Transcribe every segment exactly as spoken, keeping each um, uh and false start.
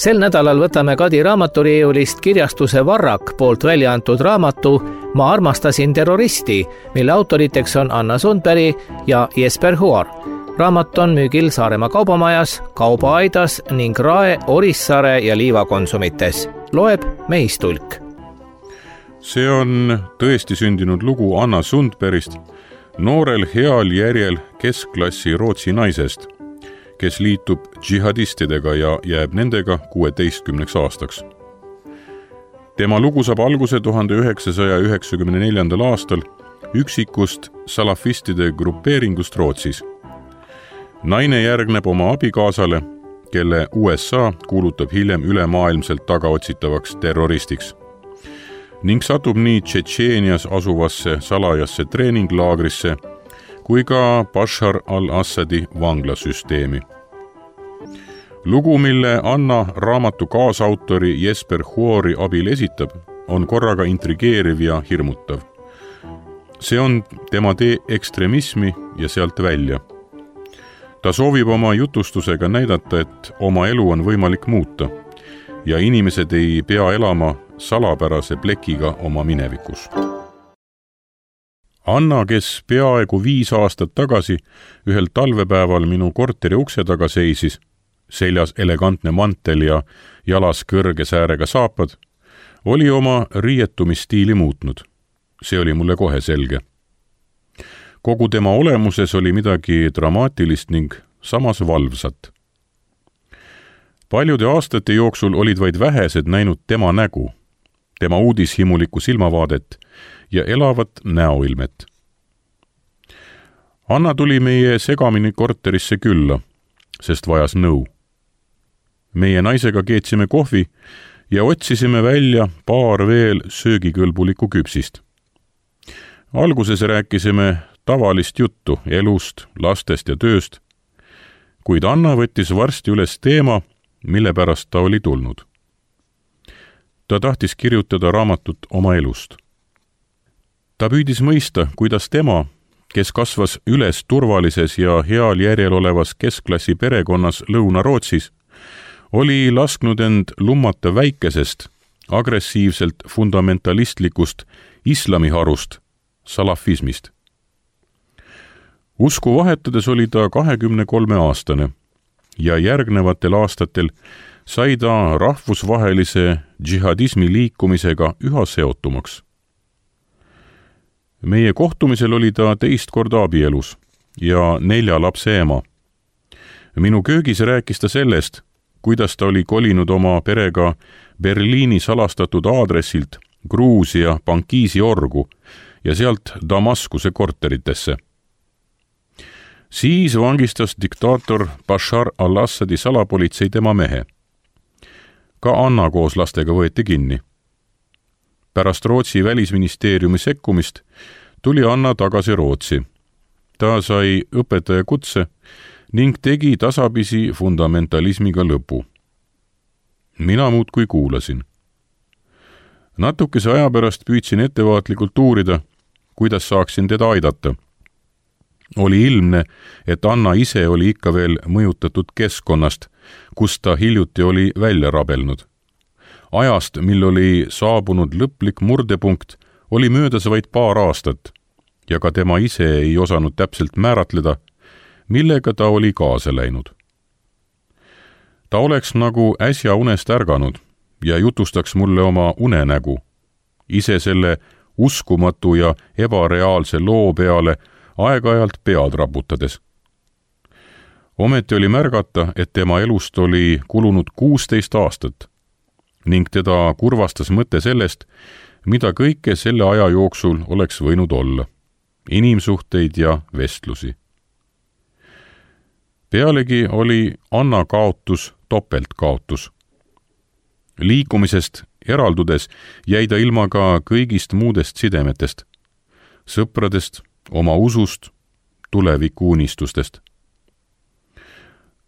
Sel nädalal võtame Kadi raamaturiiulist kirjastuse Varrak poolt välja antud raamatu Ma armastasin terroristi, mille autoriteks on Anna Sundberg ja Jesper Huar. Raamat on müügil Saaremaa kaubamajas, Kaubaaidas ning Rae, Orissaare ja Liivakonsumites. Loeb Meis Tulk. See on tõesti sündinud lugu Anna Sundbergist, noorel heal järjel keskklassi Rootsi naisest, kes liitub džihadistidega ja jääb nendega kuueteistkümneks aastaks. Tema lugu saab alguse tuhande üheksasaja üheksakümne neljandal aastal üksikust salafistide grupeeringust Rootsis. Naine järgneb oma abikaasale, kelle U S A kuulutab hiljem ülemaailmselt tagaotsitavaks terroristiks ning satub nii Tšetšeenias asuvasse salajasse treeninglaagrisse kui ka Bashar al-Assadi vanglasüsteemi. Lugu, mille Anna raamatu kaasautori Jesper Huori abil esitab, on korraga intrigeeriv ja hirmutav. See on tema tee ekstremismi ja sealt välja. Ta soovib oma jutustusega näidata, et oma elu on võimalik muuta ja inimesed ei pea elama salapärase plekiga oma minevikus. Anna, kes peaaegu viis aastat tagasi ühel talvepäeval minu korteri ukse taga seisis, seljas elegantne mantel ja jalas kõrge säärega saapad, oli oma riietumisstiili muutnud. See oli mulle kohe selge. Kogu tema olemuses oli midagi dramaatilist ning samas valvsat. Paljude aastate jooksul olid vaid vähesed näinud tema nägu, tema uudishimulikku silmavaadet ja elavat näoilmet. Anna tuli meie segamini korterisse külla, sest vajas nõu. Meie naisega keetsime kohvi ja otsisime välja paar veel söögikõlbulikku küpsist. Alguses rääkisime tavalist juttu elust, lastest ja tööst, kuid Anna võttis varsti üles teema, mille pärast ta oli tulnud. Ta tahtis kirjutada raamatut oma elust. Ta püüdis mõista, kuidas tema, kes kasvas üles turvalises ja heal järjel olevas keskklassi perekonnas Lõuna-Rootsis, oli lasknud end lummata väikesest, agressiivselt fundamentalistlikust islamiharust, salafismist. Usku vahetades oli ta kahekümne kolme aastane ja järgnevatel aastatel sai ta rahvusvahelise džihadismi liikumisega üha seotumaks. Meie kohtumisel oli ta teist korda abielus ja nelja lapse ema. Minu köögis rääkis ta sellest, kuidas ta oli kolinud oma perega Berliini salastatud aadressilt Gruusia Bankiisi orgu ja sealt Damaskuse korteritesse. Siis vangistas diktaator Bashar al-Assadi salapolitsei tema mehe. Ka Anna koos lastega võeti kinni. Pärast Rootsi välisministeeriumi sekkumist tuli Anna tagasi Rootsi. Ta sai õpetaja kutse ning tegi tasapisi fundamentalismiga lõpu. Mina muudkui kuulasin. Natukese aja pärast püüdsin ettevaatlikult uurida, kuidas saaksin teda aidata. Oli ilmne, et Anna ise oli ikka veel mõjutatud keskkonnast, kus ta hiljuti oli välja rabelnud. Ajast, mil oli saabunud lõplik murdepunkt, oli möödas vaid paar aastat ja ka tema ise ei osanud täpselt määratleda, millega ta oli kaasa läinud. Ta oleks nagu äsja unest ärganud ja jutustaks mulle oma unenägu, ise selle uskumatu ja ebareaalse loo peale aeg-ajalt pead raputades. Ometi oli märgata, et tema elust oli kulunud kuusteist aastat ning teda kurvastas mõte sellest, mida kõike selle aja jooksul oleks võinud olla, inimsuhteid ja vestlusi. Pealegi oli Anna kaotus topeltkaotus. Liikumisest eraldudes jäi ta ilma ka kõigist muudest sidemetest, sõpradest, oma usust, tuleviku unistustest.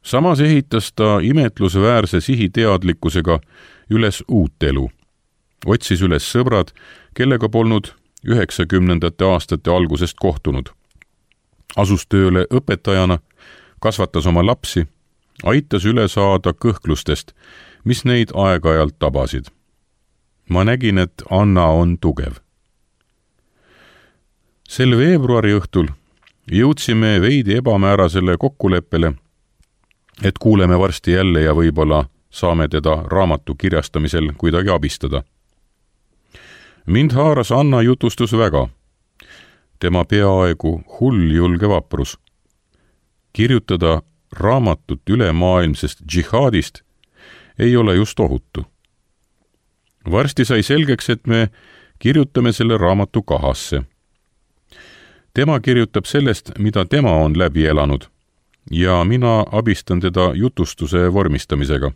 Samas ehitas ta imetlusväärse sihiteadlikkusega üles uut elu. Otsis üles sõbrad, kellega polnud üheksakümnendate aastate algusest kohtunud. Asus tööle õpetajana, kasvatas oma lapsi, aitas üle saada kõhklustest, mis neid aeg-ajalt tabasid. ma nägin, et Anna on tugev. sel veebruari õhtul jõudsime veidi ebamäärasele kokkuleppele, et kuuleme varsti jälle ja võib-olla saame teda raamatu kirjastamisel kuidagi abistada. mind haaras Anna jutustus väga. tema peaaegu hulljulge vaprus. kirjutada raamatut ülemaailmsest džihaadist ei ole just ohutu. varsti sai selgeks, et me kirjutame selle raamatu kahasse. tema kirjutab sellest, mida tema on läbi elanud ja mina abistan teda jutustuse vormistamisega,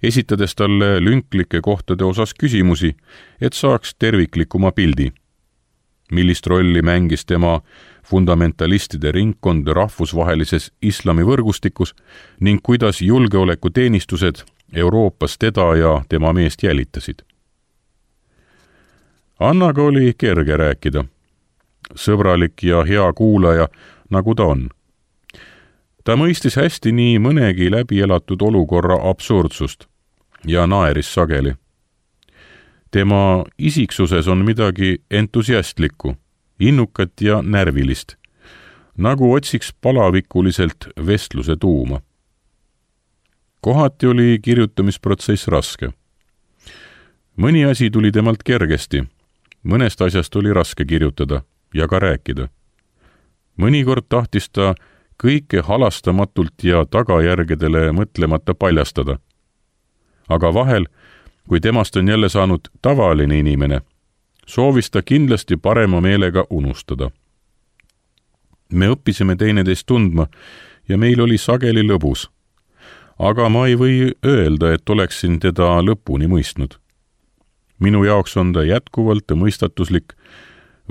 esitades talle lünklike kohtade osas küsimusi, et saaks terviklikuma pildi. millist rolli mängis tema fundamentalistide ringkond rahvusvahelises islamivõrgustikus ning kuidas julgeolekuteenistused Euroopas teda ja tema meest jälitasid. Annaga oli kerge rääkida. Sõbralik ja hea kuulaja, nagu ta on. ta mõistis hästi nii mõnegi läbi elatud olukorra absurdsust ja naeris sageli. tema isiksuses on midagi entusiastlikku, innukat ja närvilist, nagu otsiks palavikuliselt vestluse tuuma. kohati oli kirjutamisprotsess raske. mõni asi tuli temalt kergesti, mõnest asjast oli raske kirjutada ja ka rääkida. mõnikord tahtis ta kõike halastamatult ja tagajärgedele mõtlemata paljastada. aga vahel, kui temast on jälle saanud tavaline inimene, soovis ta kindlasti parema meelega unustada. me õppisime teineteist tundma ja meil oli sageli lõbus. aga ma ei või öelda, et oleksin teda lõpuni mõistnud. minu jaoks on ta jätkuvalt mõistatuslik,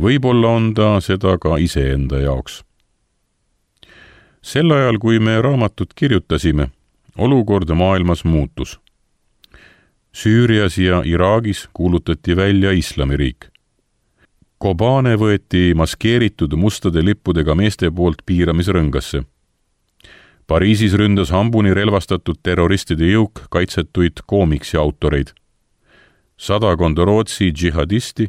võib-olla on ta seda ka iseenda jaoks. sel ajal, kui me raamatut kirjutasime, olukord maailmas muutus. Süürias ja Iraagis kuulutati välja islamiriik. Kobane võeti maskeeritud mustade lippudega meeste poolt piiramisrõngasse. Pariisis ründas hambuni relvastatud terroristide jõuk kaitsetuid koomiksi autoreid. Sadakond Rootsi džihadisti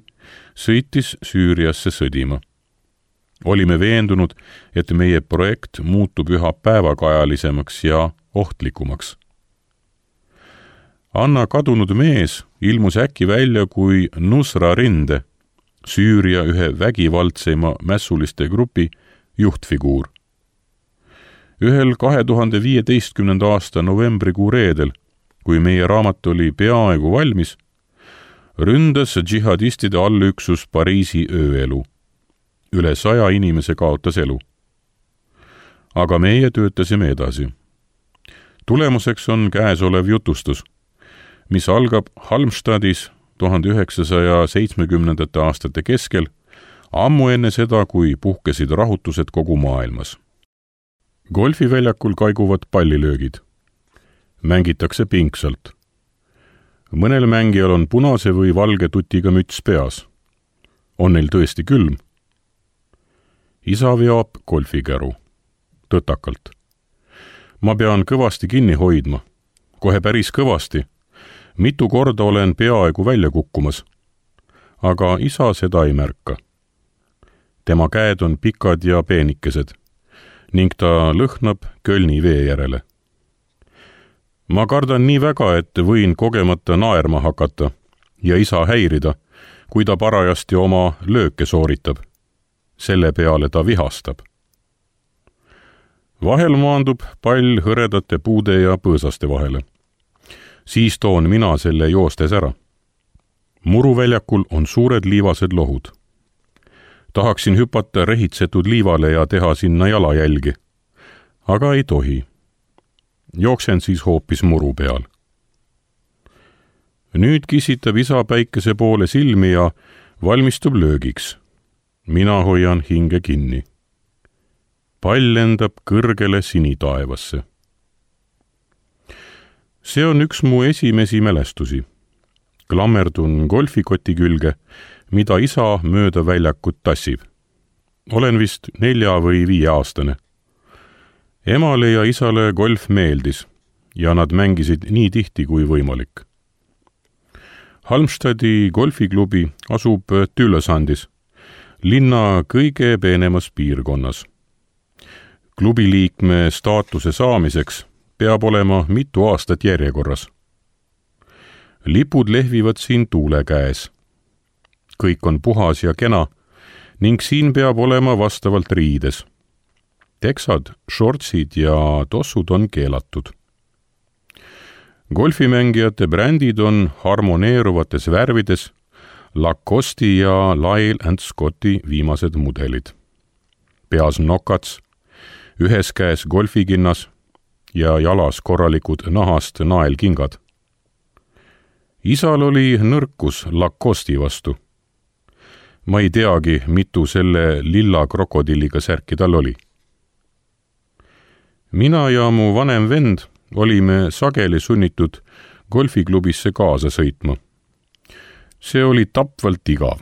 sõitis Süüriasse sõdima. Olime veendunud, et meie projekt muutub üha päevakajalisemaks ja ohtlikumaks. Anna kadunud mees ilmus äkki välja kui Nusra rinde, Süüria ühe vägivaldseima mässuliste grupi juhtfiguur. Ühel kahe tuhande viieteistkümnenda aasta novembrikuu reedel, kui meie raamat oli peaaegu valmis, ründas džihadistide allüksus Pariisi ööelu. Üle saja inimese kaotas elu. Aga meie töötasime edasi. Tulemuseks on käesolev jutustus, mis algab Halmstadis tuhande üheksasaja seitsmekümnendate aastate keskel, ammu enne seda, kui puhkesid rahutused kogu maailmas. Golfiväljakul kaiguvad pallilöögid. Mängitakse pingsalt. Mõnel mängijal on punase või valge tutiga müts peas. On neil tõesti külm? Isa veab golfikäru. Tõtakalt. Ma pean kõvasti kinni hoidma. Kohe päris kõvasti. Mitu korda olen peaaegu välja kukkumas. Aga isa seda ei märka. Tema käed on pikad ja peenikesed ning ta lõhnab Kölni vee järele. Ma kardan nii väga, et võin kogemata naerma hakata ja isa häirida, kui ta parajasti oma lööke sooritab. Selle peale ta vihastab. Vahel maandub pall hõredate puude ja põõsaste vahele. Siis toon mina selle joostes ära. Muruväljakul on suured liivased lohud. Tahaksin hüpata rehitsetud liivale ja teha sinna jalajälgi, aga ei tohi. Jooksen siis hoopis muru peal. Nüüd kisitab isa päikese poole silmi ja valmistub löögiks. Mina hoian hinge kinni. Pall lendab kõrgele sinitaevasse. See on üks mu esimesi mälestusi. Klammerdun golfikoti külge, mida isa mööda väljakut tassib. Olen vist nelja või viie aastane. emale ja isale golf meeldis ja nad mängisid nii tihti kui võimalik. Halmstadi golfiklubi asub Tylösandis, linna kõige peenemas piirkonnas. Klubi liikme staatuse saamiseks peab olema mitu aastat järjekorras. Lipud lehvivad siin tuule käes. Kõik on puhas ja kena ning siin peab olema vastavalt riides. Teksad, shortsid ja tossud on keelatud. Golfimängijate brändid on harmoneeruvates värvides, Lacoste ja Lyle and Scotti viimased mudelid. Peas nokats, ühes käes golfikinnas ja jalas korralikud nahast naelkingad. Isal oli nõrkus Lacosti vastu. Ma ei teagi, mitu selle lilla krokodilliga särki tal oli. Mina ja mu vanem vend olime sageli sunnitud golfiklubisse kaasa sõitma. See oli tapvalt igav.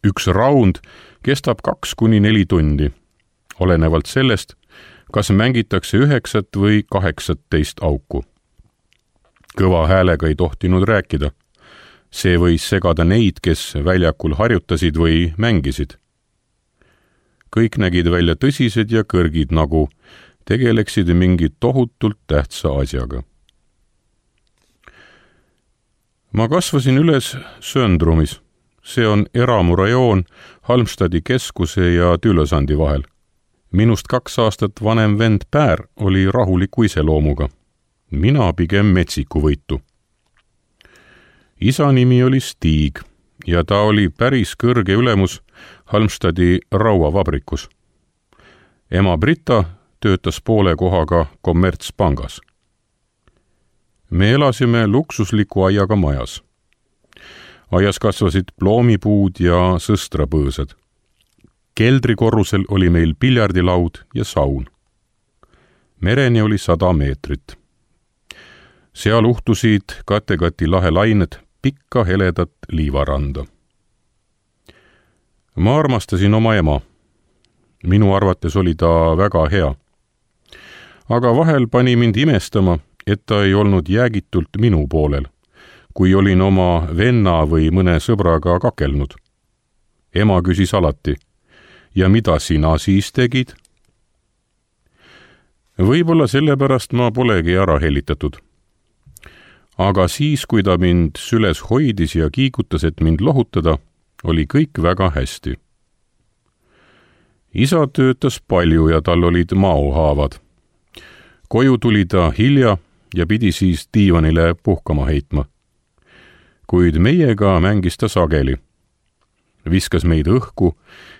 Üks raund kestab kaks kuni neli tundi, olenevalt sellest, kas mängitakse üheksat või kaheksateist auku. Kõva häälega ei tohtinud rääkida. See võis segada neid, kes väljakul harjutasid või mängisid. Kõik nägid välja tõsised ja kõrgid, nagu tegeleksid mingi tohutult tähtsa asjaga. Ma kasvasin üles Söndrumis. See on eramurajoon Halmstadi keskuse ja Tylösandi vahel. Minust kaks aastat vanem vend Pär oli rahuliku iseloomuga. Mina pigem metsiku võitu. Isa nimi oli Stig ja ta oli päris kõrge ülemus Halmstadi rauavabrikus. Ema Brita töötas poole kohaga kommertspangas. Me elasime luksusliku aiaga majas. Aias kasvasid ploomipuud ja sõstrapõõsad. Keldrikorrusel oli meil piljardilaud ja saun. Mereni oli sada meetrit. Seal uhtusid Kattegati lahe lained pikka heledat liivaranda. Ma armastasin oma ema. Minu arvates oli ta väga hea. Aga vahel pani mind imestama, et ta ei olnud jäägitult minu poolel, kui olin oma venna või mõne sõbraga kakelnud. Ema küsis alati, ja mida sina siis tegid? Võib-olla sellepärast ma polegi ära helitatud. Aga siis, kui ta mind süles hoidis ja kiigutas, et mind lohutada, oli kõik väga hästi. Isa töötas palju ja tal olid maohaavad. Koju tuli ta hilja ja pidi siis diivanile puhkama heitma. Kuid meiega mängis ta sageli. Viskas meid õhku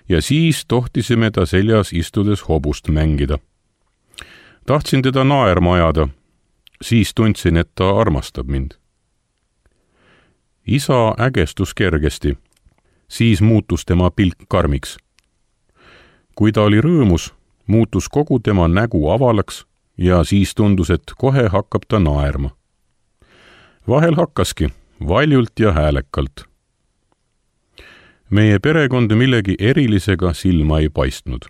ja siis tohtisime ta seljas istudes hobust mängida. Tahtsin teda naerma ajada, siis tundsin, et ta armastab mind. Isa ägestus kergesti, siis muutus tema pilk karmiks. Kui ta oli rõõmus, muutus kogu tema nägu avalaks ja siis tundus, et kohe hakkab ta naerma. Vahel hakkaski, valjult ja häälekalt. Meie perekond millegi erilisega silma ei paistnud.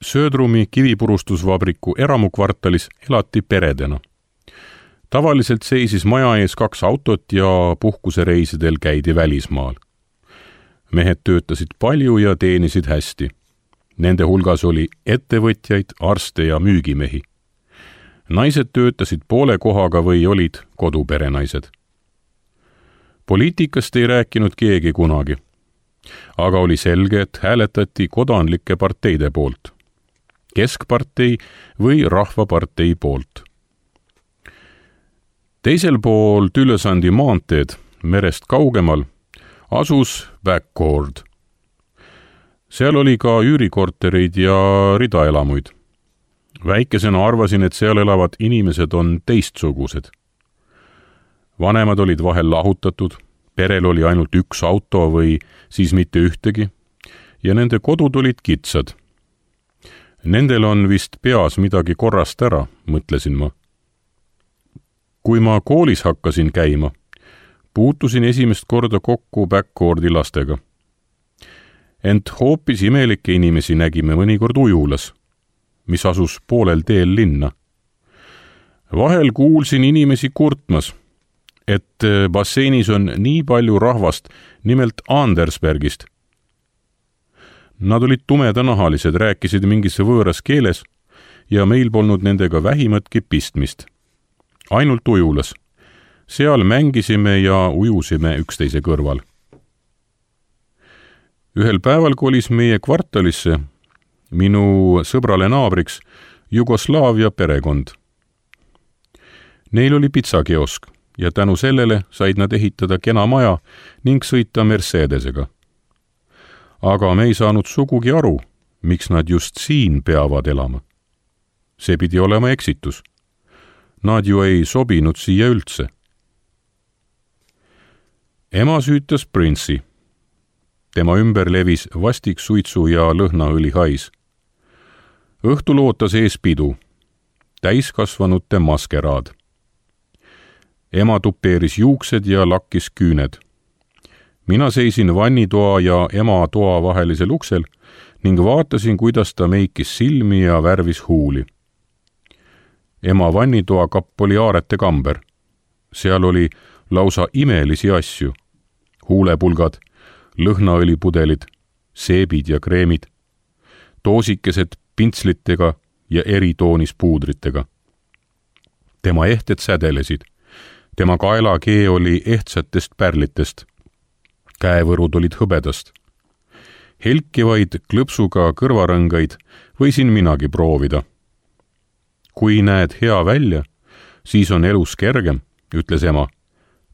Söödrumi kivipurustusvabriku eramukvartalis elati peredena. Tavaliselt seisis maja ees kaks autot ja puhkusereisidel käidi välismaal. Mehed töötasid palju ja teenisid hästi. Nende hulgas oli ettevõtjaid, arste ja müügimehi. Naised töötasid poole kohaga või olid koduperenaised. Poliitikast ei rääkinud keegi kunagi, aga oli selge, et hääletati kodanlike parteide poolt, keskpartei või rahvapartei poolt. Teisel pool Tylösandi maanteed, merest kaugemal, asus Backord. Seal oli ka üürikortereid ja ridaelamuid. Väikesena arvasin, et seal elavad inimesed on teistsugused. Vanemad olid vahel lahutatud, perel oli ainult üks auto või siis mitte ühtegi ja nende kodud olid kitsad. Nendel on vist peas midagi korrast ära, mõtlesin ma. Kui ma koolis hakkasin käima, puutusin esimest korda kokku Backordi lastega. Ent hoopis imelikke inimesi nägime mõnikord ujulas. mis asus poolel teel linna. Vahel kuulsin inimesi kurtmas, et basseinis on nii palju rahvast, nimelt Andersbergist. Nad olid tumedanahalised, rääkisid mingis võõras keeles ja meil polnud nendega vähimatki pistmist. Ainult ujulas. Seal mängisime ja ujusime üksteise kõrval. Ühel päeval kolis meie kvartalisse minu sõbrale naabriks Jugoslaavia perekond. Neil oli pitsakiosk ja tänu sellele said nad ehitada kena maja ning sõita Mercedesega. Aga me ei saanud sugugi aru, miks nad just siin peavad elama. See pidi olema eksitus. Nad ju ei sobinud siia üldse. Ema süütas Prince'i. Tema ümber levis vastik suitsu ja lõhnaõli hais. Õhtul ootas ees pidu, täiskasvanute maskeraad. Ema tupeeris juuksed ja lakkis küüned. Mina seisin vannitoa ja ema toa vahelisel uksel ning vaatasin, kuidas ta meikis silmi ja värvis huuli. Ema vannitoa kapp oli aarete kamber. Seal oli lausa imelisi asju. Huulepulgad, lõhnaõlipudelid, seebid ja kreemid, toosikesed pintslitega ja eritoonis puudritega. Tema ehted sädelesid. Tema kaelakee oli ehtsatest pärlitest. Käevõrud olid hõbedast. Helkivaid klõpsuga kõrvarõngaid võisin minagi proovida. Kui näed hea välja, siis on elus kergem, ütles ema.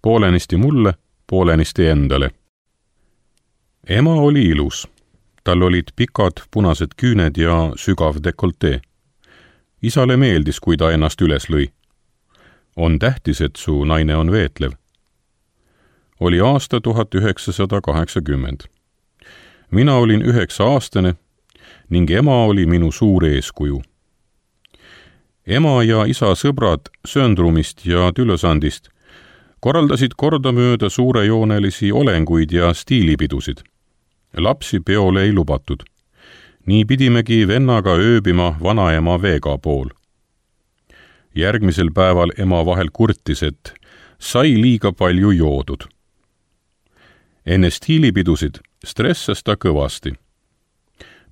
Poolenisti mulle, poolenisti endale. Ema oli ilus. Tal olid pikad punased küüned ja sügav dekoltee. Isale meeldis, kui ta ennast üles lõi. On tähtis, et su naine on veetlev. Oli aasta tuhat üheksasada kaheksakümmend. Mina olin üheksa aastane ning ema oli minu suur eeskuju. Ema ja isa sõbrad Söndrumist ja Tülösandist korraldasid kordamööda suurejoonelisi olenguid ja stiilipidusid. Lapsi peole ei lubatud. Nii pidimegi vennaga ööbima vanaema Veega pool. Järgmisel päeval ema vahel kurtis, et sai liiga palju joodud. Enne stiilipidusid stressas ta kõvasti.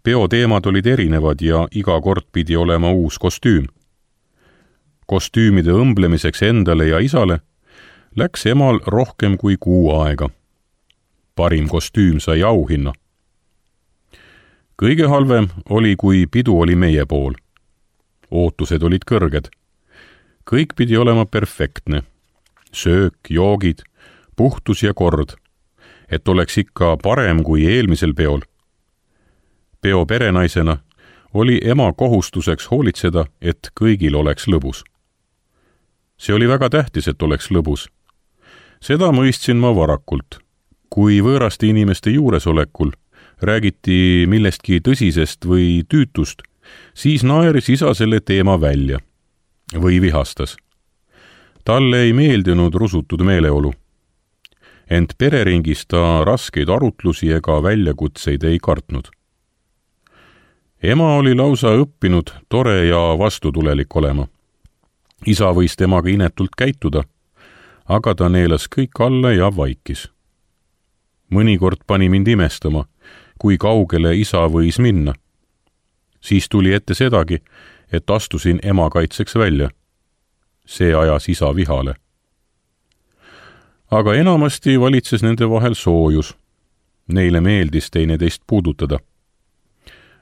Peoteemad olid erinevad ja iga kord pidi olema uus kostüüm. Kostüümide õmblemiseks endale ja isale läks emal rohkem kui kuu aega. Parim kostüüm sai auhinna. Kõige halvem oli, kui pidu oli meie pool. Ootused olid kõrged. Kõik pidi olema perfektne. Söök, joogid, puhtus ja kord, et oleks ikka parem kui eelmisel peol. Peo perenaisena oli ema kohustuseks hoolitseda, et kõigil oleks lõbus. See oli väga tähtis, et oleks lõbus. Seda mõistsin ma varakult. Kui võõraste inimeste juuresolekul räägiti millestki tõsisest või tüütust, siis naeris isa selle teema välja või vihastas. Talle ei meeldinud rusutud meeleolu. Ent pereringis ta raskeid arutlusi ega väljakutseid ei kartnud. Ema oli lausa õppinud tore ja vastutulelik olema. Isa võis temaga inetult käituda, aga ta neelas kõik alla ja vaikis. Mõnikord pani mind imestama, kui kaugele isa võis minna. Siis tuli ette sedagi, et astusin ema kaitseks välja. See ajas isa vihale. Aga enamasti valitses nende vahel soojus. Neile meeldis teineteist puudutada.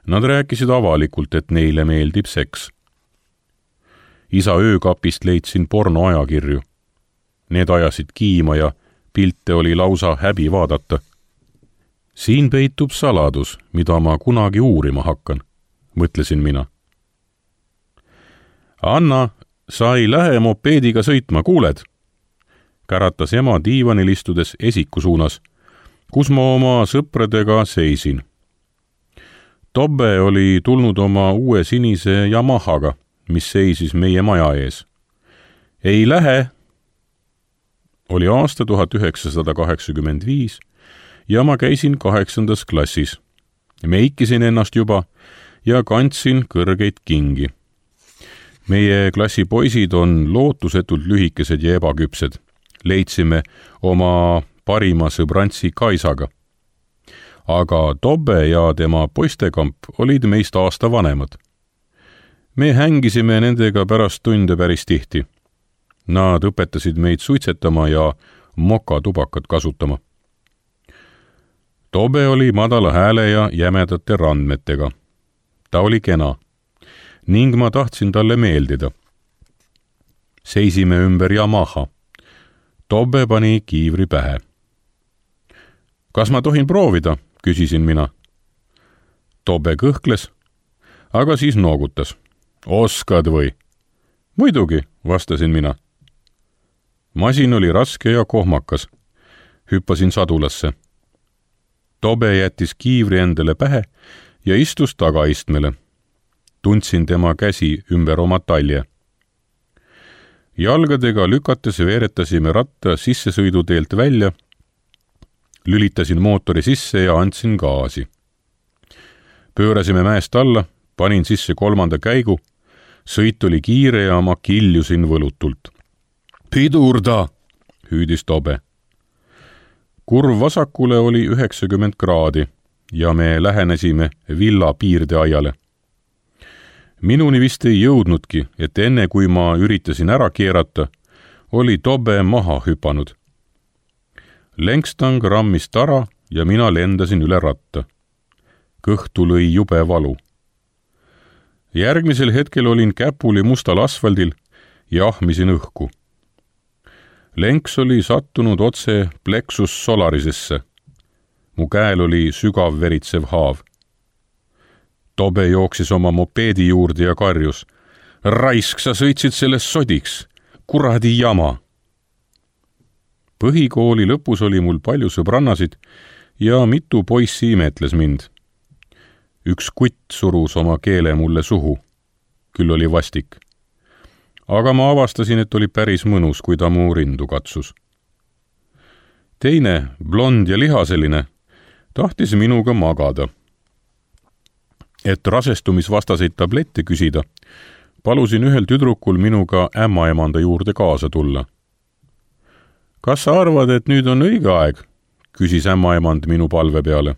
Nad rääkisid avalikult, et neile meeldib seks. Isa öökapist leidsin pornoajakirju. Need ajasid kiima ja pilte oli lausa häbi vaadata. Siin peitub saladus, mida ma kunagi uurima hakkan, mõtlesin mina. Anna, sa ei lähe mopeediga sõitma, kuuled? Käratas ema diivanil istudes esiku suunas, kus ma oma sõpradega seisin. Tobbe oli tulnud oma uue sinise Yamahaga, mis seisis meie maja ees. Ei lähe! Oli aasta tuhat üheksasada kaheksakümmend viis ja ma käisin kaheksandas klassis. Meikisin ennast juba ja kandsin kõrgeid kingi. meie klassi poisid on lootusetult lühikesed ja ebaküpsed. Leidsime oma parima sõbrantsi Kaisaga. Aga Tobbe ja tema poistekamp olid meist aasta vanemad. me hängisime nendega pärast tunde päris tihti. Nad õpetasid meid suitsetama ja mokatubakat kasutama. Tobbe oli madala hääle ja jämedate randmetega. Ta oli kena ning ma tahtsin talle meeldida. Seisime ümber Yamaha. Tobbe pani kiivri pähe. Kas ma tohin proovida, küsisin mina. Tobbe kõhkles, aga siis noogutas. Oskad või? Muidugi, vastasin mina. Masin oli raske ja kohmakas. Hüppasin sadulasse. Tobbe jättis kiivri endale pähe ja istus tagaistmele. Tundsin tema käsi ümber oma talje. Jalgadega lükates veeretasime ratta sissesõiduteelt välja, lülitasin mootori sisse ja andsin gaasi. Pöörasime mäest alla, panin sisse kolmanda käigu, sõit oli kiire ja ma kiljusin võlutult. Pidurda, hüüdis Tobbe. Kurv vasakule oli üheksakümmend kraadi ja me lähenesime villa piirdeaiale. Minuni vist ei jõudnudki, et enne kui ma üritasin ära keerata, oli Tobbe maha hüpanud. Längstang rammis tara ja mina lendasin üle ratta. Kõhtu lõi jube valu. Järgmisel hetkel olin käpuli mustal asfaldil ja ahmisin õhku. Lenks oli sattunud otse plexus solarisesse. Mu käel oli sügav veritsev haav. Tobbe jooksis oma mopeedi juurde ja karjus. Raisk, sa sõitsid sellest sodiks. Kuradi jama. Põhikooli lõpus oli mul palju sõbrannasid ja mitu poissi imetles mind. Üks kutt surus oma keele mulle suhu. Küll oli vastik. Aga ma avastasin, et oli päris mõnus, kui ta mu rindu katsus. Teine, blond ja lihaseline, tahtis minuga magada. Et rasestumisvastaseid tablette küsida, palusin ühel tüdrukul minuga ämmaemanda juurde kaasa tulla. Kas sa arvad, et nüüd on õige aeg? Küsis ämmaemand minu palve peale.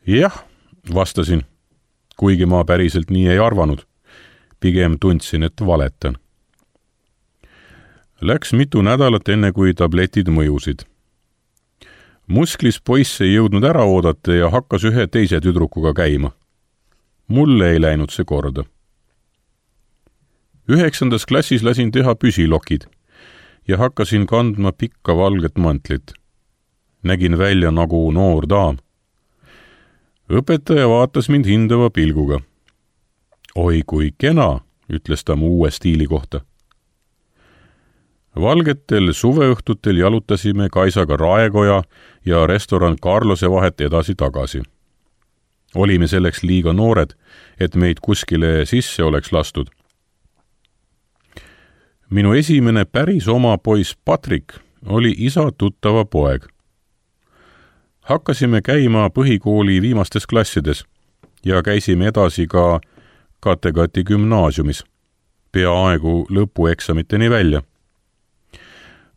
Jah, vastasin, kuigi ma päriselt nii ei arvanud. Pigem tundsin, et valetan. Läks mitu nädalat enne, kui tabletid mõjusid. Musklis poiss ei jõudnud ära oodata ja hakkas ühe teise tüdrukuga käima. Mulle ei läinud see korda. Üheksandas klassis lasin teha püsilokid ja hakkasin kandma pikka valget mantlit. Nägin välja nagu noor daam. Õpetaja vaatas mind hindava pilguga. Oi kui kena, ütles ta mu uue stiili kohta. Valgetel suveõhtutel jalutasime Kaisaga Raekoja ja restoran Carlose vahet edasi-tagasi. Olime selleks liiga noored, et meid kuskile sisse oleks lastud. Minu esimene päris oma poiss Patrick oli isa tuttava poeg. Hakkasime käima põhikooli viimastes klassides ja käisime edasi ka Kattegati gümnaasiumis, peaaegu lõpueksamiteni välja.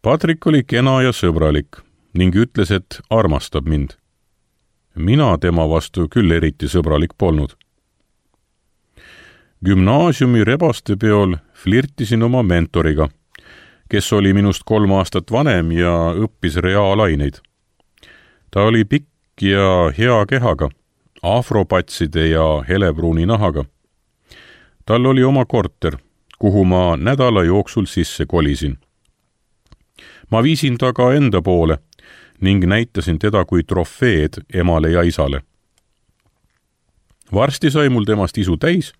Patrick oli kena ja sõbralik ning ütles, et armastab mind. Mina tema vastu küll eriti sõbralik polnud. Gümnaasiumi rebaste peol flirtisin oma mentoriga, kes oli minust kolm aastat vanem ja õppis reaalaineid. Ta oli pikk ja hea kehaga, afropatside ja helebruuni nahaga. Tal oli oma korter, kuhu ma nädala jooksul sisse kolisin. Ma viisin ta ka enda poole ning näitasin teda kui trofeed emale ja isale. Varsti sai mul temast isu täis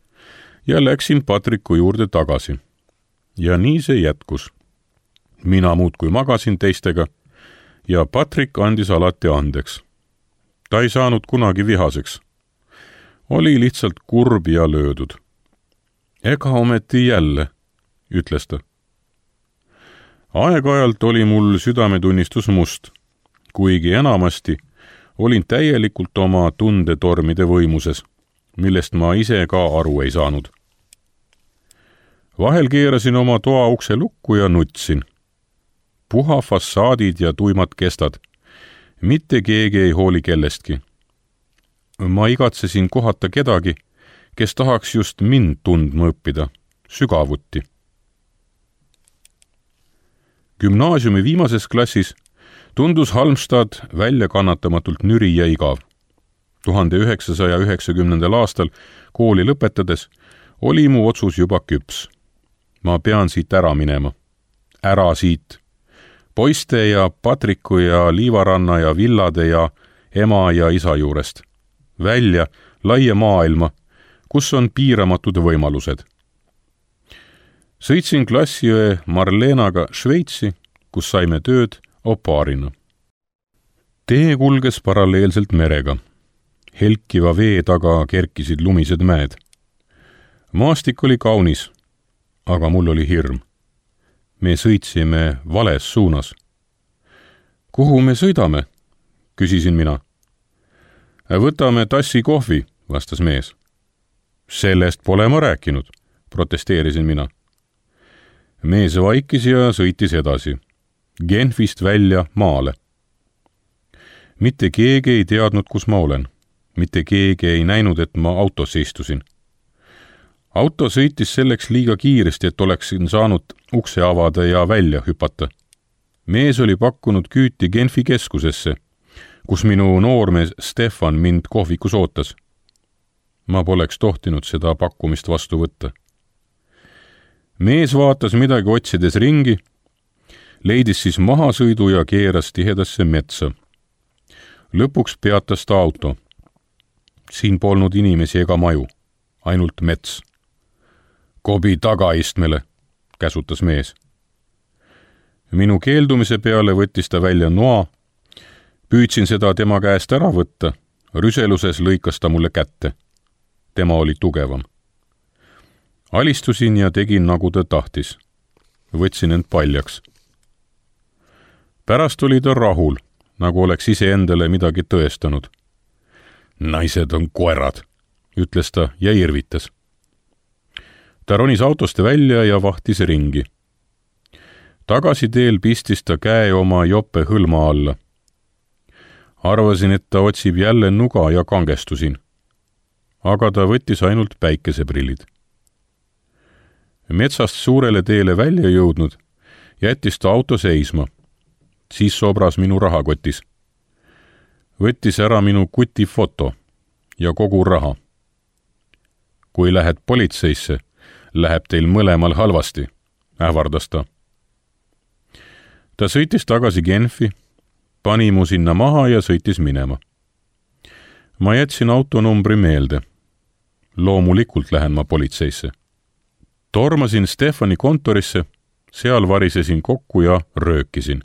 ja läksin Patriku juurde tagasi. Ja nii see jätkus. Mina muudkui magasin teistega ja Patrick andis alati andeks. Ta ei saanud kunagi vihaseks. Oli lihtsalt kurb ja löödud. Ega ometi jälle, ütles ta. Aeg-ajalt oli mul südametunnistus must, kuigi enamasti olin täielikult oma tundetormide võimuses, millest ma ise ka aru ei saanud. Vahel keerasin oma toa ukse lukku ja nutsin. Puha fassaadid ja tuimad kestad. Mitte keegi ei hooli kellestki. Ma igatsesin kohata kedagi, kes tahaks just mind tundma õppida, sügavuti. Gümnaasiumi viimases klassis tundus Halmstad välja kannatamatult nüri ja igav. tuhande üheksasaja üheksakümnendal aastal kooli lõpetades oli mu otsus juba küps. Ma pean siit ära minema. Ära siit. Poiste ja Patriku ja Liivaranna ja villade ja ema ja isa juurest. Välja laia maailma, kus on piiramatud võimalused. Sõitsin klassiõe Marlenaga Šveitsi, kus saime tööd opaarina. Tee kulges paralleelselt merega. Helkiva vee taga kerkisid lumised mäed. Maastik oli kaunis, aga mul oli hirm. Me sõitsime vales suunas. Kuhu me sõidame? Küsisin mina. Võtame tassi kohvi, vastas mees. Sellest pole ma rääkinud, protesteerisin mina. Mees vaikis ja sõitis edasi. Genfist välja maale. Mitte keegi ei teadnud, kus ma olen. Mitte keegi ei näinud, et ma autosse istusin. Auto sõitis selleks liiga kiiresti, et oleksin saanud ukse avada ja välja hüpata. Mees oli pakkunud küüti Genfi keskusesse, kus minu noormees Stefan mind kohvikus ootas. Ma poleks tohtinud seda pakkumist vastu võtta. Mees vaatas midagi otsides ringi, leidis siis mahasõidu ja keeras tihedasse metsa. Lõpuks peatas ta auto. Siin polnud inimesi ega maju, ainult mets. Kobi tagaistmele, käsutas mees. Minu keeldumise peale võttis ta välja noa. Püüdsin seda tema käest ära võtta. Rüseluses lõikas ta mulle kätte. Tema oli tugevam. Alistusin ja tegin, nagu ta tahtis. Võtsin end paljaks. Pärast oli ta rahul, nagu oleks ise endale midagi tõestanud. Naised on koerad, ütles ta ja irvitas. Ta ronis autost välja ja vahtis ringi. Tagasiteel pistis ta käe oma jope hõlma alla. Arvasin, et ta otsib jälle nuga ja kangestusin. Aga ta võttis ainult päikeseprillid. Metsast suurele teele välja jõudnud, jättis ta auto seisma. Siis sobras minu rahakotis. Võttis ära minu kuti foto ja kogu raha. Kui lähed politseisse, läheb teil mõlemal halvasti, ähvardas ta. Ta sõitis tagasi Genfi, pani mu sinna maha ja sõitis minema. Ma jätsin autonumbri meelde. Loomulikult lähen ma politseisse. Tormasin Stefani kontorisse, seal varisesin kokku ja röökisin.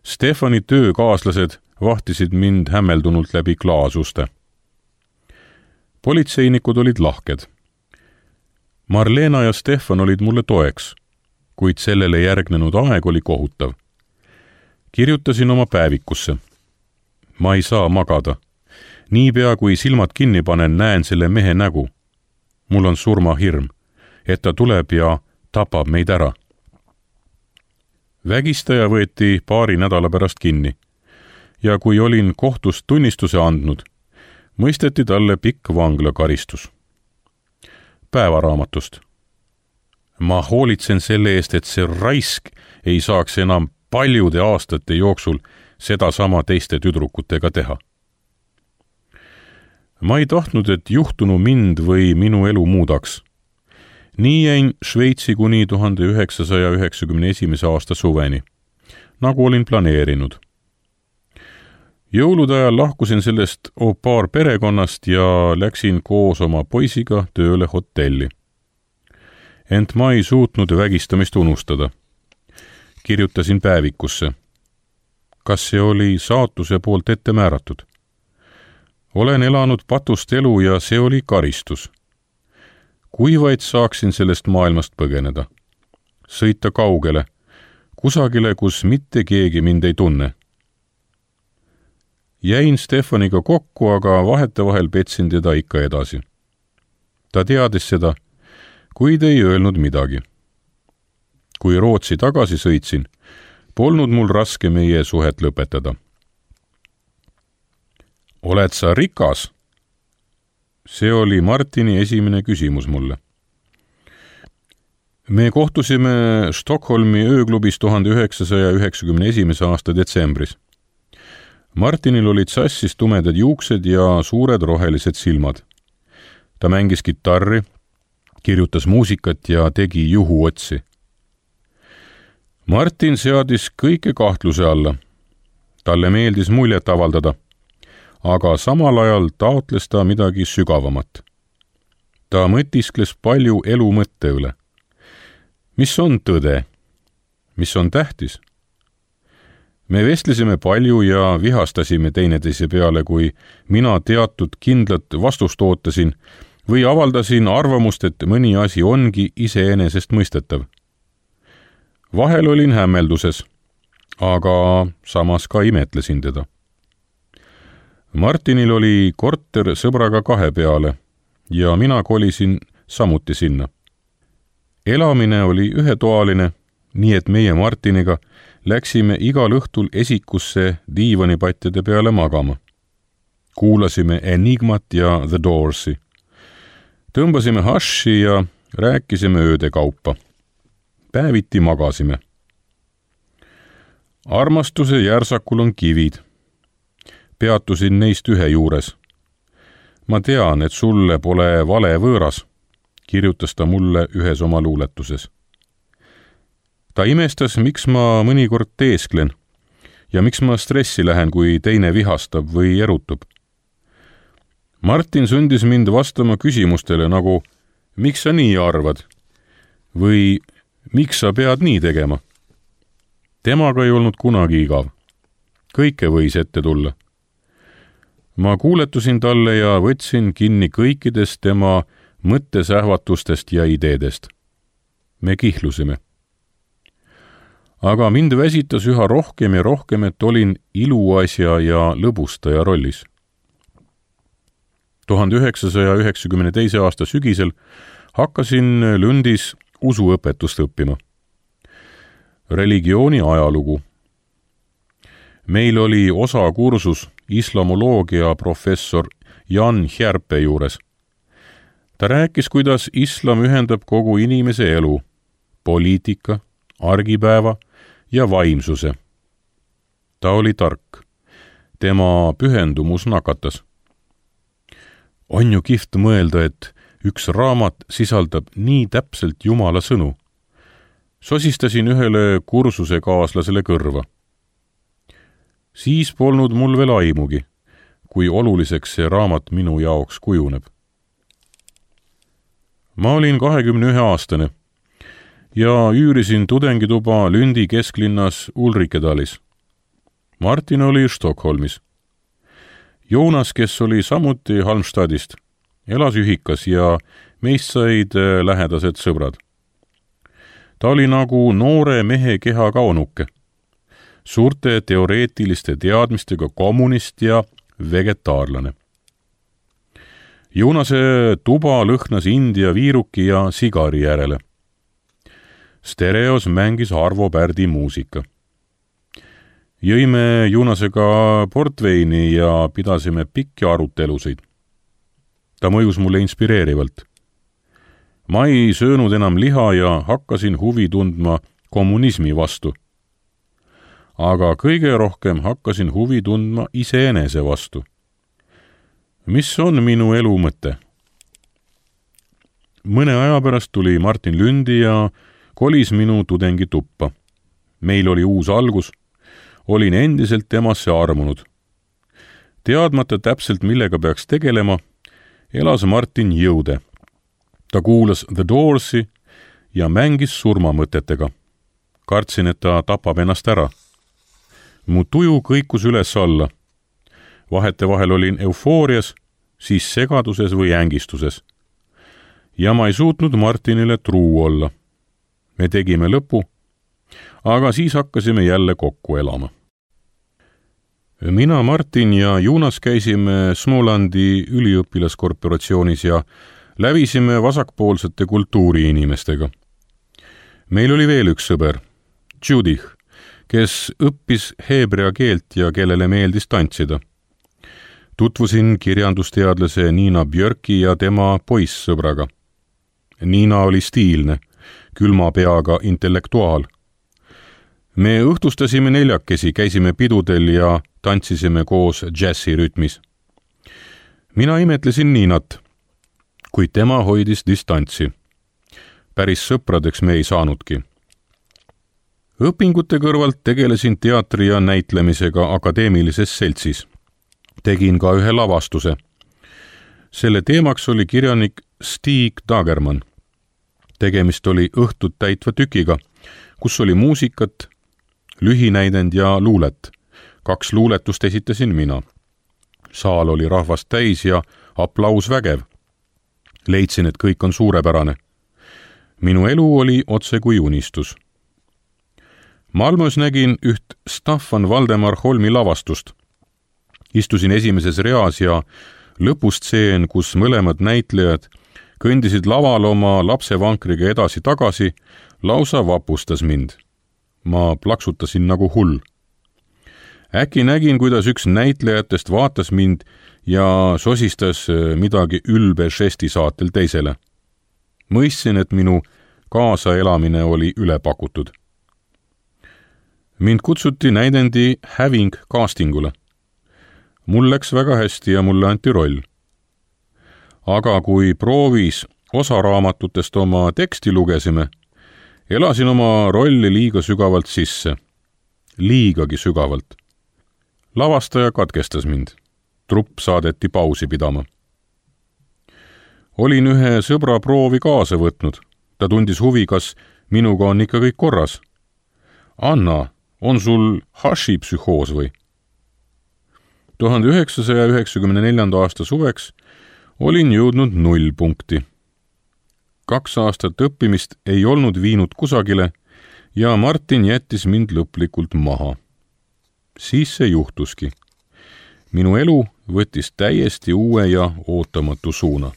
Stefani töökaaslased vahtisid mind hämmeldunult läbi klaasuste. Politseinikud olid lahked. Marlena ja Stefan olid mulle toeks, kuid sellele järgnenud aeg oli kohutav. Kirjutasin oma päevikusse. Ma ei saa magada. Niipea kui silmad kinni panen, näen selle mehe nägu. Mul on surmahirm, et ta tuleb ja tapab meid ära. Vägistaja võeti paari nädala pärast kinni ja kui olin kohtust tunnistuse andnud, mõisteti talle pikk vanglakaristus. Päevaraamatust. Ma hoolitsen selle eest, et see raisk ei saaks enam paljude aastate jooksul sedasama teiste tüdrukutega teha. Ma ei tahtnud, et juhtunu mind või minu elu muudaks. Nii jäin Šveitsi kuni tuhande üheksasaja üheksakümne esimese aasta suveni, nagu olin planeerinud. Jõulude ajal lahkusin sellest au pair perekonnast ja läksin koos oma poisiga tööle hotelli. Ent ma ei suutnud vägistamist unustada. Kirjutasin päevikusse. Kas see oli saatuse poolt ette määratud? Olen elanud patust elu ja see oli karistus. Kui vaid saaksin sellest maailmast põgeneda. Sõita kaugele, kusagile, kus mitte keegi mind ei tunne. Jäin Stefaniga kokku, aga vahetevahel petsin teda ikka edasi. Ta teadis seda, kuid ei öelnud midagi. Kui Rootsi tagasi sõitsin, polnud mul raske meie suhet lõpetada. Oled sa rikas? See oli Martini esimene küsimus mulle. Me kohtusime Stockholmi ööklubis tuhande üheksasaja üheksakümne esimese aasta detsembris. Martinil olid sassis tumedad juuksed ja suured rohelised silmad. Ta mängis kitarri, kirjutas muusikat ja tegi juhuotsi. Martin seadis kõike kahtluse alla. Talle meeldis muljet avaldada, aga samal ajal taotles ta midagi sügavamat. Ta mõtiskles palju elu mõtte üle. Mis on tõde? Mis on tähtis? Me vestlesime palju ja vihastasime teineteise peale, kui mina teatud kindlat vastust ootasin või avaldasin arvamust, et mõni asi ongi iseenesest mõistetav. Vahel olin hämmelduses, aga samas ka imetlesin teda. Martinil oli korter sõbraga kahe peale ja mina kolisin samuti sinna. Elamine oli ühetoaline, nii et meie Martiniga läksime igal õhtul esikusse diivanipatjade peale magama. Kuulasime Enigmat ja The Doors'i. Tõmbasime haši ja rääkisime ööde kaupa. Päeviti magasime. Armastuse järsakul on kivid. Peatusin neist ühe juures. Ma tean, et sulle pole vale võõras, kirjutas ta mulle ühes oma luuletuses. Ta imestas, miks ma mõnikord teesklen ja miks ma stressi lähen, kui teine vihastab või erutub. Martin sundis mind vastama küsimustele nagu, miks sa nii arvad või miks sa pead nii tegema? Temaga ei olnud kunagi igav. Kõike võis ette tulla. Ma kuuletusin talle ja võtsin kinni kõikidest tema mõttesähvatustest ja ideedest. Me kihlusime. Aga mind väsitas üha rohkem ja rohkem, et olin iluasja ja lõbustaja rollis. tuhande üheksasaja üheksakümne teise aasta sügisel hakkasin Lundis usuõpetust õppima. Religiooni ajalugu. Meil oli osa kursus islamoloogia professor Jan Hjärpe juures. Ta rääkis, kuidas islam ühendab kogu inimese elu, poliitika, argipäeva ja vaimsuse. Ta oli tark. Tema pühendumus nakatas. On ju kihvt mõelda, et üks raamat sisaldab nii täpselt Jumala sõnu. Sosistasin ühele kursuse kaaslasele kõrva. Siis polnud mul veel aimugi, kui oluliseks see raamat minu jaoks kujuneb. Ma olin kahekümne ühe aastane ja üürisin tudengituba Lundi kesklinnas Ulrikedalis. Martin oli Stockholmis. Joonas, kes oli samuti Halmstadist, elas ühikas ja meist said lähedased sõbrad. Ta oli nagu noore mehe keha kaunuke, suurte teoreetiliste teadmistega kommunist ja vegetaarlane. Joonase tuba lõhnas India viiruki ja sigari järele. Stereos mängis Arvo Pärdi muusika. Jõime Joonasega portveini ja pidasime pikki arutelusid. Ta mõjus mulle inspireerivalt. Ma ei söönud enam liha ja hakkasin huvi tundma kommunismi vastu. Aga kõige rohkem hakkasin huvi tundma iseenese vastu. Mis on minu elu mõte? Mõne aja pärast tuli Martin Lundi ja kolis minu tudengi tuppa. Meil oli uus algus. Olin endiselt temasse armunud. Teadmata täpselt, millega peaks tegelema, elas Martin jõude. Ta kuulas The Doors'i ja mängis surmamõtetega. Kartsin, et ta tapab ennast ära. Mu tuju kõikus üles alla. Vahetevahel olin eufoorias, siis segaduses või ängistuses. Ja ma ei suutnud Martinile truu olla. Me tegime lõpu, aga siis hakkasime jälle kokku elama. mina, Martin ja Juunas käisime Smolandi üliõpilaskorporatsioonis ja lävisime vasakpoolsete kultuuriinimestega. Meil oli veel üks sõber, Judith, kes õppis heebrea keelt ja kellele meeldis tantsida. Tutvusin kirjandusteadlase Niina Björki ja tema poissõbraga. Niina oli stiilne, külma peaga intellektuaal. Me õhtustasime neljakesi, käisime pidudel ja tantsisime koos džässi rütmis. Mina imetlesin Niinat, kuid tema hoidis distantsi. Päris sõpradeks me ei saanudki. Õpingute kõrvalt tegelesin teatri ja näitlemisega akadeemilises seltsis. Tegin ka ühe lavastuse. Selle teemaks oli kirjanik Stig Dagerman. Tegemist oli õhtut täitva tükiga, kus oli muusikat, lühinäidend ja luulet. Kaks luuletust esitasin mina. Saal oli rahvast täis ja aplaus vägev. Leidsin, et kõik on suurepärane. Minu elu oli otse kui unistus. Malmös nägin üht Staffan Valdemar Holmi lavastust. Istusin esimeses reas ja lõpustseen, kus mõlemad näitlejad kõndisid laval oma lapsevankriga edasi-tagasi, lausa vapustas mind. Ma plaksutasin nagu hull. Äkki nägin, kuidas üks näitlejatest vaatas mind ja sosistas midagi ülbe žesti saatel teisele. Mõistsin, et minu kaasaelamine oli ülepakutud. Mind kutsuti näidendi Having castingule. Mul läks väga hästi ja mulle anti roll. Aga kui proovis osaraamatutest oma teksti lugesime, elasin oma rolli liiga sügavalt sisse. Liigagi sügavalt. Lavastaja katkestas mind. Trupp saadeti pausi pidama. Olin ühe sõbra proovi kaasa võtnud. Ta tundis huvi, kas minuga on ikka kõik korras. Anna, on sul hashi-psühhoos või? tuhande üheksasaja üheksakümne neljanda aasta suveks olin jõudnud nullpunkti. Kaks aastat õppimist ei olnud viinud kusagile ja Martin jättis mind lõplikult maha. Siis see juhtuski. Minu elu võttis täiesti uue ja ootamatu suuna.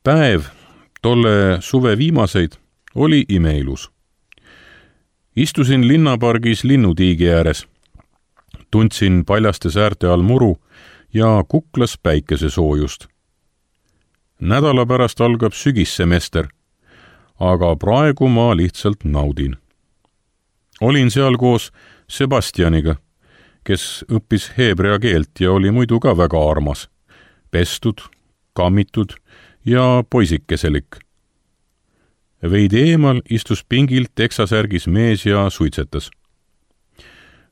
Päev, tolle suve viimaseid, oli imeilus. Istusin linnapargis linnutiigi ääres. Tundsin paljaste säärte all muru ja kuklas päikesesoojust. Nädala pärast algab sügissemester, aga praegu ma lihtsalt naudin. Olin seal koos Sebastianiga, kes õppis heebrea keelt ja oli muidu ka väga armas, pestud, kammitud ja poisikeselik. Veidi eemal istus pingilt teksasärgis mees ja suitsetas.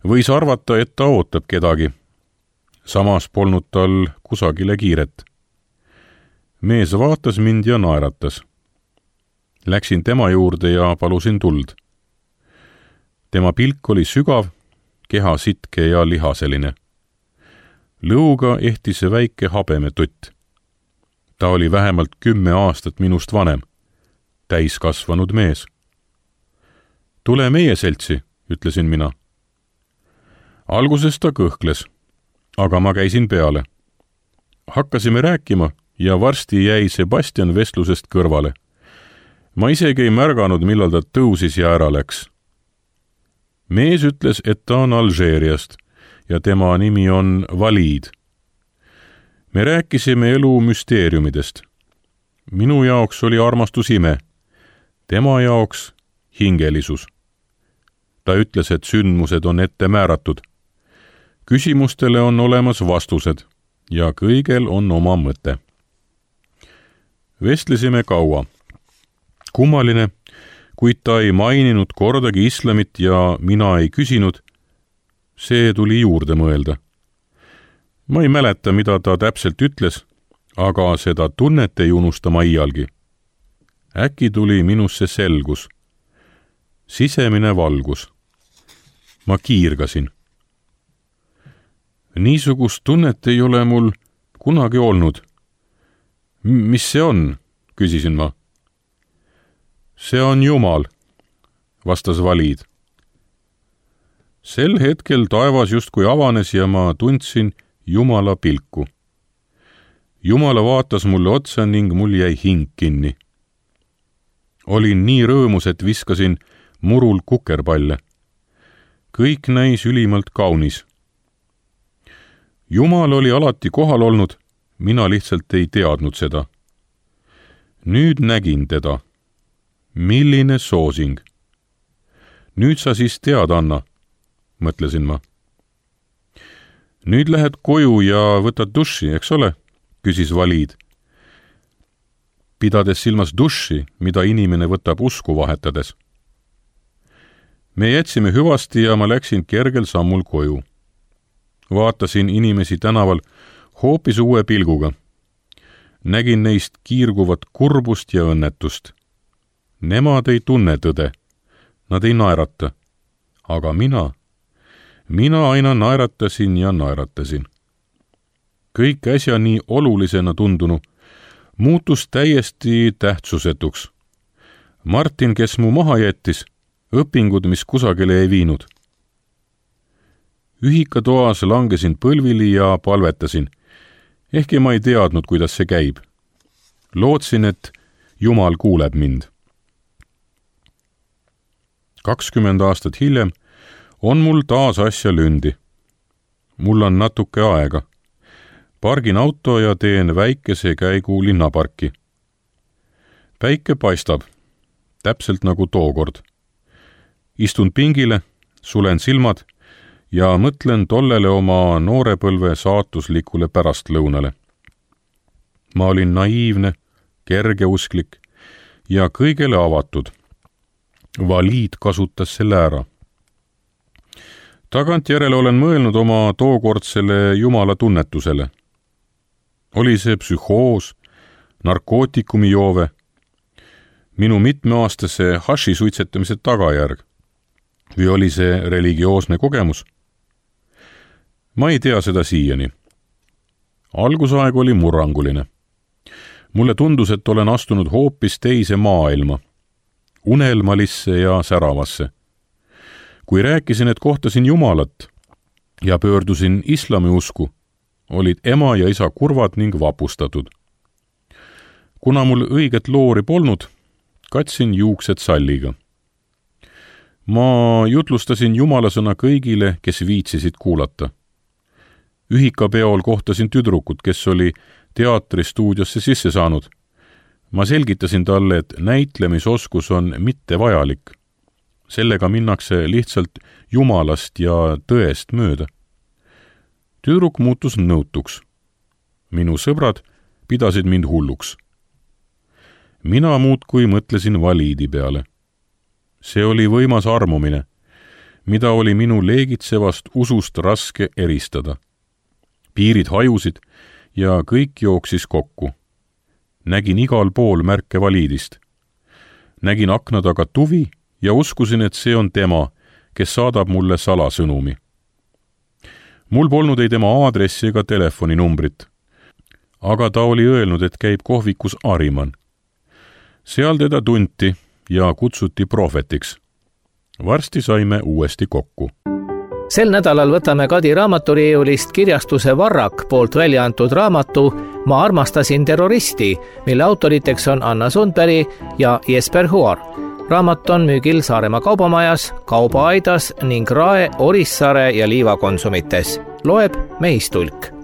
Võis arvata, et ta ootab kedagi. Samas polnud tal kusagile kiiret. Mees vaatas mind ja naeratas. Läksin tema juurde ja palusin tuld. Tema pilk oli sügav, keha sitke ja lihaseline. Lõuga ehtis väike habemetutt. Ta oli vähemalt kümme aastat minust vanem, täiskasvanud mees. Tule meie seltsi, ütlesin mina. Alguses ta kõhkles, aga ma käisin peale. Hakkasime rääkima ja varsti jäi Sebastian vestlusest kõrvale. Ma isegi ei märganud, millal ta tõusis ja ära läks. Mees ütles, et ta on Alžeeriast ja tema nimi on Valid. Me rääkisime elu müsteeriumidest. Minu jaoks oli armastus ime, tema jaoks hingelisus. Ta ütles, et sündmused on ette määratud. Küsimustele on olemas vastused ja kõigel on oma mõte. Vestlesime kaua. Kummaline, kuid ta ei maininud kordagi islamit ja mina ei küsinud. See tuli juurde mõelda. Ma ei mäleta, mida ta täpselt ütles, aga seda tunnet ei unusta ma iialgi. Äkki tuli minusse selgus. Sisemine valgus. Ma kiirgasin. Niisugust tunnet ei ole mul kunagi olnud. Mis see on? Küsisin ma. See on Jumal, vastas Valid. sel hetkel taevas justkui avanes ja ma tundsin Jumala pilku. Jumala vaatas mulle otsa ning mul jäi hing kinni. Olin nii rõõmus, et viskasin murul kukerpalle. Kõik näis ülimalt kaunis. Jumal oli alati kohal olnud, mina lihtsalt ei teadnud seda. Nüüd nägin teda. Milline soosing. Nüüd sa siis tead, Anna, mõtlesin ma. Nüüd lähed koju ja võtad duši, eks ole? Küsis Valiid. Pidades silmas duši, mida inimene võtab usku vahetades. Me jätsime hüvasti ja ma läksin kergel sammul koju. Vaatasin inimesi tänaval hoopis uue pilguga. Nägin neist kiirguvat kurbust ja õnnetust. Nemad ei tunne tõde. Nad ei naerata. Aga mina, mina aina naeratasin ja naeratasin. Kõik äsja nii olulisena tundunu muutus täiesti tähtsusetuks. Martin, kes mu maha jättis, õpingud, mis kusagile ei viinud. Ühikatoas langesin põlvili ja palvetasin, ehkki ma ei teadnud, kuidas see käib. Lootsin, et Jumal kuuleb mind. kakskümmend aastat hiljem on mul taas asja lündi. Mul on natuke aega. Pargin auto ja teen väikese käigu linnaparki. Päike paistab, täpselt nagu tookord. Istun pingile, sulen silmad ja mõtlen tollele oma noorepõlve saatuslikule pärastlõunale. Ma olin naiivne, kergeusklik ja kõigele avatud. Valiid kasutas selle ära. Tagantjärele olen mõelnud oma tookordsele Jumala tunnetusele. Oli see psühhoos, narkootikumi joove, minu mitmeaastase haši suitsetamise tagajärg või oli see religioosne kogemus? Ma ei tea seda siiani. Algusaeg oli murranguline. Mulle tundus, et olen astunud hoopis teise maailma, unelmalisse ja säravasse. Kui rääkisin, et kohtasin Jumalat ja pöördusin islami usku, olid ema ja isa kurvad ning vapustatud. Kuna mul õiget loori polnud, katsin juuksed salliga. Ma jutlustasin Jumala sõna kõigile, kes viitsisid kuulata. Ühikapeol kohtasin tüdrukut, kes oli teatristuudiosse sisse saanud. Ma selgitasin talle, et näitlemisoskus on mitte vajalik. Sellega minnakse lihtsalt Jumalast ja tõest mööda. Tüdruk muutus nõutuks. Minu sõbrad pidasid mind hulluks. Mina muudkui mõtlesin Valiidi peale. See oli võimas armumine, mida oli minu leegitsevast usust raske eristada. Piirid hajusid ja kõik jooksis kokku. Nägin igal pool märke Valiidist. Nägin akna taga tuvi ja uskusin, et see on tema, kes saadab mulle salasõnumi. Mul polnud ei tema aadressi ega telefoninumbrit, aga ta oli öelnud, et käib kohvikus Ariman. Seal teda tunti ja kutsuti prohvetiks. Varsti saime uuesti kokku. Sel nädalal võtame Kadi raamaturiiulist kirjastuse Varrak poolt välja antud raamatu Ma armastasin terroristi, mille autoriteks on Anna Sundberg ja Jesper Huar. Raamat on müügil Saaremaa kaubamajas, Kaubaaidas ning Rae, Orissaare ja Liiva konsumites. Loeb Meistulk.